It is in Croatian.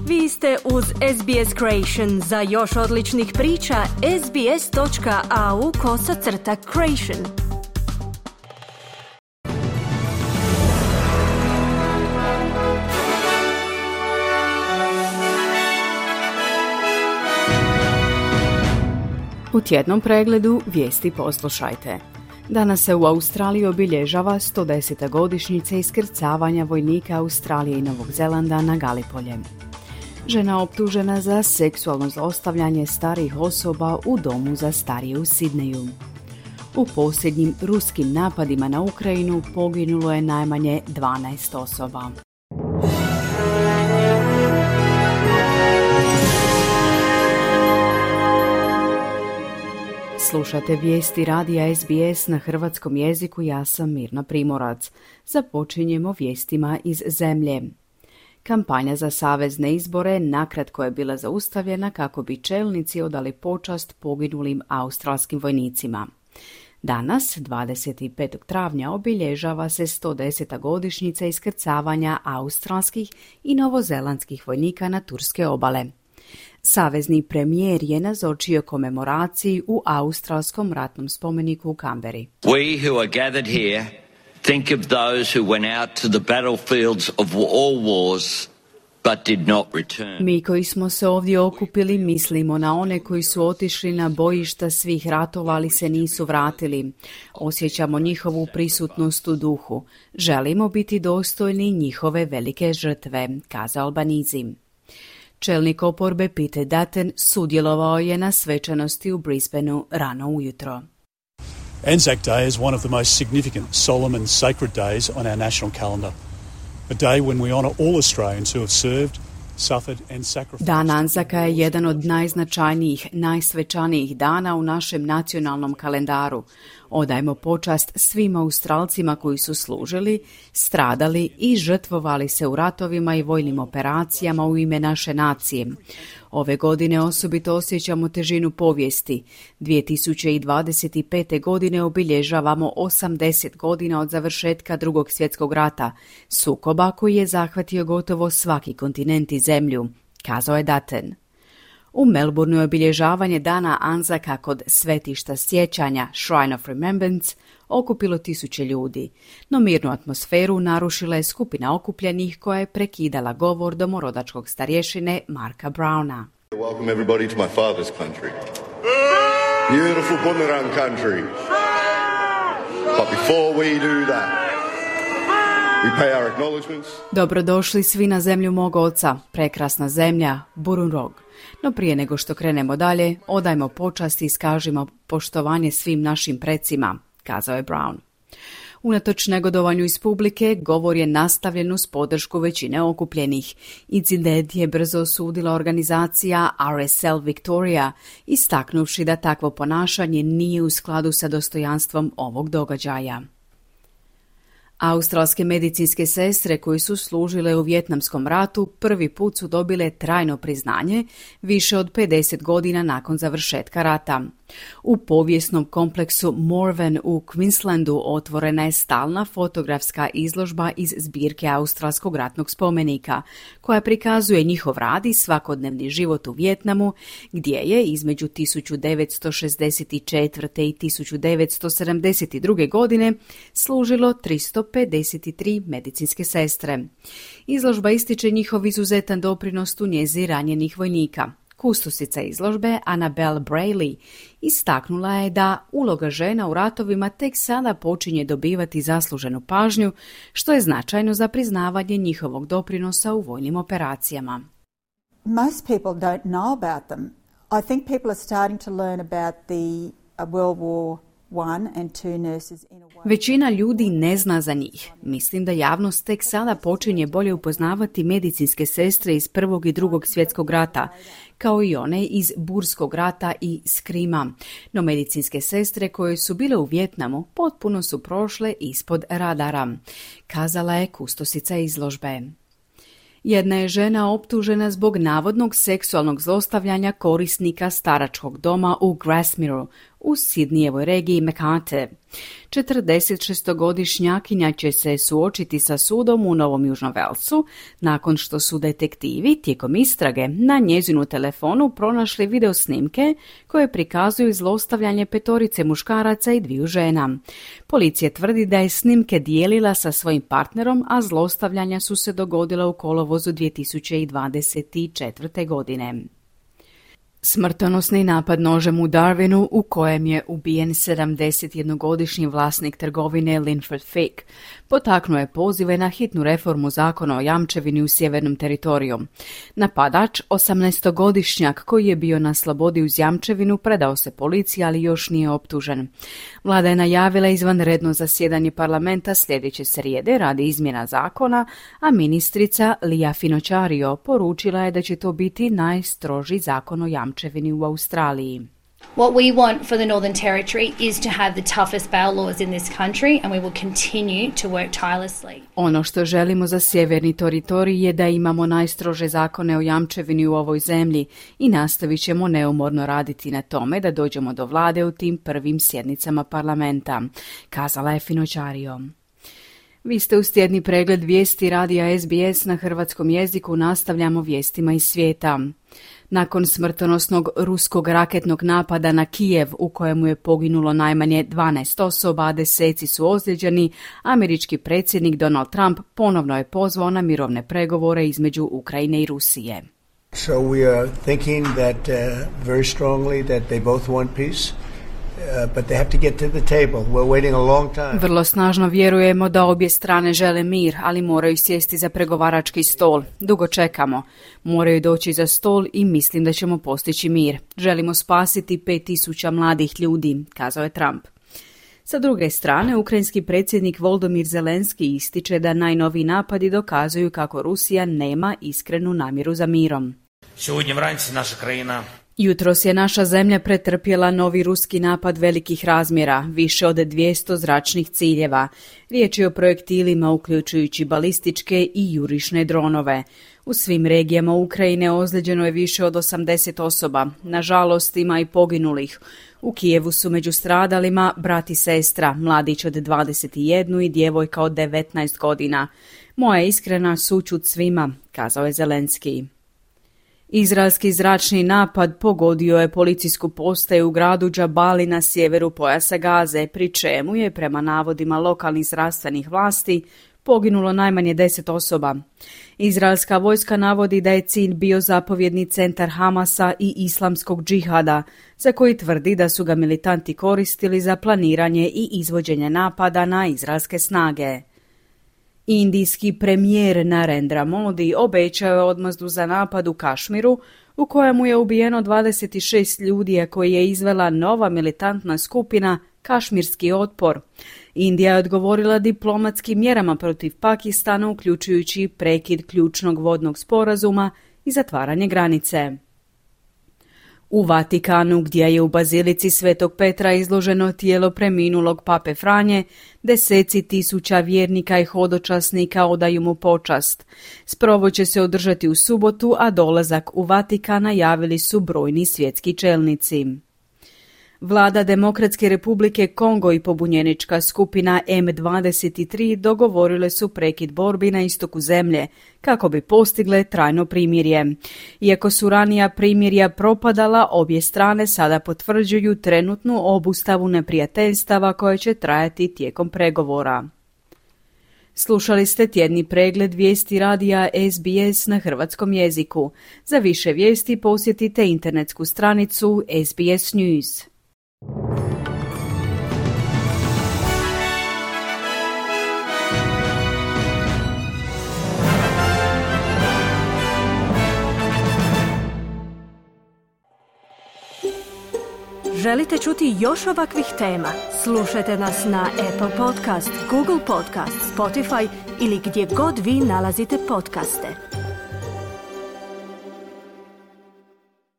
Vi ste uz SBS Creation. Za još odličnih priča, sbs.au/creation. U tjednom pregledu vijesti poslušajte. Danas se u Australiji obilježava 110. godišnjica iskrcavanja vojnika Australije i Novog Zelanda na Galipolje. Žena optužena za seksualno zlostavljanje starijih osoba u domu za starije u Sidneju. U posljednjim ruskim napadima na Ukrajinu poginulo je najmanje 12 osoba. Slušate vijesti radija SBS na hrvatskom jeziku, ja sam Mirna Primorac. Započinjemo vijestima iz zemlje. Kampanja za savezne izbore nakratko je bila zaustavljena kako bi čelnici odali počast poginulim australskim vojnicima. Danas, 25. travnja, obilježava se 110. godišnjica iskrcavanja australskih i novozelandskih vojnika na turske obale. Savezni premijer je nazočio komemoraciji u australskom ratnom spomeniku u Canberri. We who are gathered here think of those who went out to the battlefields of all wars but did not return. Mi koji smo se ovdje okupili mislimo na one koji su otišli na bojišta svih ratova, ali se nisu vratili. Osjećamo njihovu prisutnost u duhu. Želimo biti dostojni njihove velike žrtve, kazao Albanizi. Čelnik oporbe Peter Dutton sudjelovao je na svečanosti u Brisbaneu rano ujutro. Anzac Day is one of the most significant, solemn and sacred days on our national calendar. A day when we honour all Australians who have served, suffered and sacrificed. Dan Anzaka je jedan od najznačajnijih, najsvečanijih dana u našem nacionalnom kalendaru. Odajmo počast svim Australcima koji su služili, stradali i žrtvovali se u ratovima i vojnim operacijama u ime naše nacije. Ove godine osobito osjećamo težinu povijesti. 2025. godine obilježavamo 80 godina od završetka Drugog svjetskog rata, sukoba koji je zahvatio gotovo svaki kontinent i zemlju, kazao je Dutton. U Melbourneu je obilježavanje dana Anzaka kod svetišta sjećanja Shrine of Remembrance okupilo 1000 ljudi, no mirnu atmosferu narušila je skupina okupljenih koja je prekidala govor domorodačkog starješine Marka Browna. Welcome everybody to my father's country. Beautiful Bunurong country. But before we do that, we pay our acknowledgements. Dobrodošli svi na zemlju mog oca, prekrasna zemlja, Burunrog. No prije nego što krenemo dalje, odajmo počast i iskažimo poštovanje svim našim precima, kazao je Brown. Unatoč negodovanju iz publike, govor je nastavljen uz podršku većine okupljenih. Incident je brzo osudila organizacija RSL Victoria, istaknuvši da takvo ponašanje nije u skladu sa dostojanstvom ovog događaja. Australske medicinske sestre koje su služile u Vijetnamskom ratu prvi put su dobile trajno priznanje više od 50 godina nakon završetka rata. U povijesnom kompleksu Morven u Queenslandu otvorena je stalna fotografska izložba iz zbirke Australskog ratnog spomenika, koja prikazuje njihov rad i svakodnevni život u Vijetnamu, gdje je između 1964. i 1972. godine služilo 353 medicinske sestre. Izložba ističe njihov izuzetan doprinos u njezi ranjenih vojnika. Kustosica izložbe Annabelle Brayley istaknula je da uloga žena u ratovima tek sada počinje dobivati zasluženu pažnju, što je značajno za priznavanje njihovog doprinosa u vojnim operacijama. Most people don't know about them. I think people are starting to learn about the World War I and II nurses in a way. Većina ljudi ne zna za njih. Mislim da javnost tek sada počinje bolje upoznavati medicinske sestre iz Prvog i Drugog svjetskog rata, kao i one iz Burskog rata i Skrima. No medicinske sestre koje su bile u Vijetnamu potpuno su prošle ispod radara, kazala je kustosica izložbe. Jedna je žena optužena zbog navodnog seksualnog zlostavljanja korisnika staračkog doma u Grasmireu u Sidnijevoj regiji Mekate. 46-godišnjakinja će se suočiti sa sudom u Novom Južnom Velsu nakon što su detektivi tijekom istrage na njezinu telefonu pronašli video snimke koje prikazuju zlostavljanje 5 muškaraca i 2 žena. Policija tvrdi da je snimke dijelila sa svojim partnerom, a zlostavljanja su se dogodila u kolovozu 2024. godine. Smrtonosni napad nožem u Darwinu u kojem je ubijen 71-godišnji vlasnik trgovine Linford Fake potaknuo je pozive na hitnu reformu zakona o jamčevini u Sjevernom teritoriju. Napadač, 18-godišnjak koji je bio na slobodi uz jamčevinu, predao se policiji, ali još nije optužen. Vlada je najavila izvanredno zasjedanje parlamenta sljedeće srijede radi izmjena zakona, a ministrica Lia Finocchiario poručila je da će to biti najstroži zakon o jamčevini u Australiji. What we want for the Northern Territory is to have the toughest bail laws in this country, and we will continue to work tirelessly. Ono što želimo za Sjeverni teritorij je da imamo najstrože zakone o jamčevini u ovoj zemlji i nastavit ćemo neumorno raditi na tome da dođemo do vlade u tim prvim sjednicama parlamenta, kazala je Finocchiario. Vi ste uz tjedni pregled vijesti radija SBS na hrvatskom jeziku. Nastavljamo vijestima iz svijeta. Nakon smrtonosnog ruskog raketnog napada na Kijev u kojemu je poginulo najmanje 12 osoba, a 10 su ozlijeđeni, američki predsjednik Donald Trump ponovno je pozvao na mirovne pregovore između Ukrajine i Rusije. So we are thinking that very strongly that they both want peace. But they have to get to the table. We're waiting a long time. Vrlo snažno vjerujemo da obje strane žele mir, ali moraju sjesti za pregovarački stol. Dugo čekamo. Moraju doći za stol i mislim da ćemo postići mir. Želimo spasiti 5000 mladih ljudi, kazao je Trump. Sa druge strane, ukrajinski predsjednik Volodymyr Zelenski ističe da najnoviji napadi dokazuju kako Rusija nema iskrenu namjeru za mirom. Сьогодні вранці наша країна Jutros je naša zemlja pretrpjela novi ruski napad velikih razmjera, više od 200 zračnih ciljeva. Riječ je o projektilima uključujući balističke i jurišne dronove. U svim regijama Ukrajine ozlijeđeno je više od 80 osoba. Nažalost, ima i poginulih. U Kijevu su među stradalima brat i sestra, mladić od 21 i djevojka od 19 godina. Moja iskrena sućut svima, kazao je Zelenski. Izraelski zračni napad pogodio je policijsku postaju u gradu Džabali na sjeveru pojasa Gaze, pri čemu je, prema navodima lokalnih zdravstvenih vlasti, poginulo najmanje 10 osoba. Izraelska vojska navodi da je cilj bio zapovjedni centar Hamasa i islamskog džihada, za koji tvrdi da su ga militanti koristili za planiranje i izvođenje napada na izraelske snage. Indijski premijer Narendra Modi obećao je odmazdu za napad u Kašmiru, u kojemu je ubijeno 26 ljudi, a koji je izvela nova militantna skupina Kašmirski otpor. Indija je odgovorila diplomatskim mjerama protiv Pakistana, uključujući prekid ključnog vodnog sporazuma i zatvaranje granice. U Vatikanu, gdje je u bazilici Svetog Petra izloženo tijelo preminulog pape Franje, 10.000 vjernika i hodočasnika odaju mu počast. Sprovod će se održati u subotu, a dolazak u Vatikan najavili su brojni svjetski čelnici. Vlada Demokratske republike Kongo i pobunjenička skupina M23 dogovorile su prekid borbi na istoku zemlje kako bi postigle trajno primirje. Iako su ranija primirja propadala, obje strane sada potvrđuju trenutnu obustavu neprijateljstava koje će trajati tijekom pregovora. Slušali ste tjedni pregled vijesti radija SBS na hrvatskom jeziku. Za više vijesti posjetite internetsku stranicu SBS News. Želite čuti još ovakvih tema? Slušajte nas na Apple Podcast, Google Podcast, Spotify ili gdje god vi nalazite podcaste.